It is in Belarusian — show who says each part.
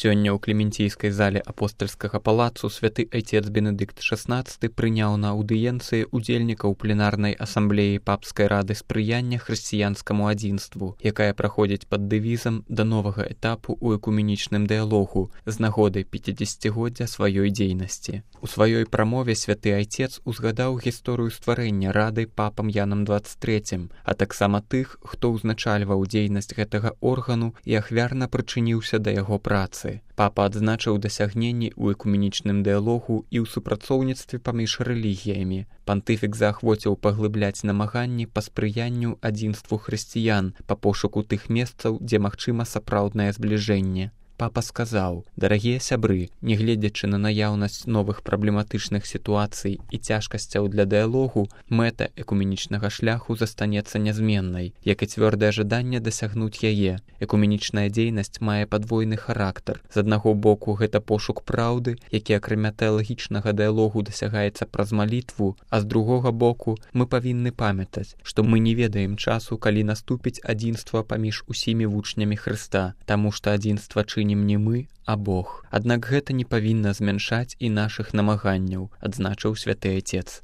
Speaker 1: Сёння ў клементійскай зале апостальскага палацу святы айцец Бенедыкт XVI прыняў на аўдыенцыі удзельнікаў пленарнай асамблеі папскай рады спрыяння хрысціянскаму адзінству, якая праходзіць пад дэвізам да новага этапу ў экуменічным дыялогу з нагоды 50-годдзя сваёй дзейнасці. У сваёй прамове святы айцец узгадаў гісторыю стварэння рады папам Янам XXIII, а таксама тых, хто ўзначальваў дзейнасць гэтага органу і ахвярна прычыніўся да яго працы. Папа адзначыў дасягненні ў экуменічным дыялогу і ў супрацоўніцтве паміж рэлігіямі. Пантыфік заахвоціў паглыбляць намаганні па спрыянню адзінству хрысціян, па пошуку тых месцаў, дзе магчыма сапраўднае збліжэнне. Папа сказаў: «Дарагія сябры, нягледзячы на наяўнасць новых праблематычных сітуацый і цяжкасцяў для дыялогу, мэта экуменічнага шляху застанецца нязменнай, як і цвёрдае жаданне дасягнуць яе. Экуменічная дзейнасць мае падвойны характар. З аднаго боку, гэта пошук праўды, які акрамя тэалагічнага дыялогу дасягаецца праз малітву, а з другога боку, мы павінны памятаць, што мы не ведаем часу, калі наступіць адзінства паміж усімі вучнямі Хрыста, таму што адзінства чыніць не мы, а Бог. Аднак гэта не павінна змяншаць і нашых намаганняў», адзначыў святы айцец.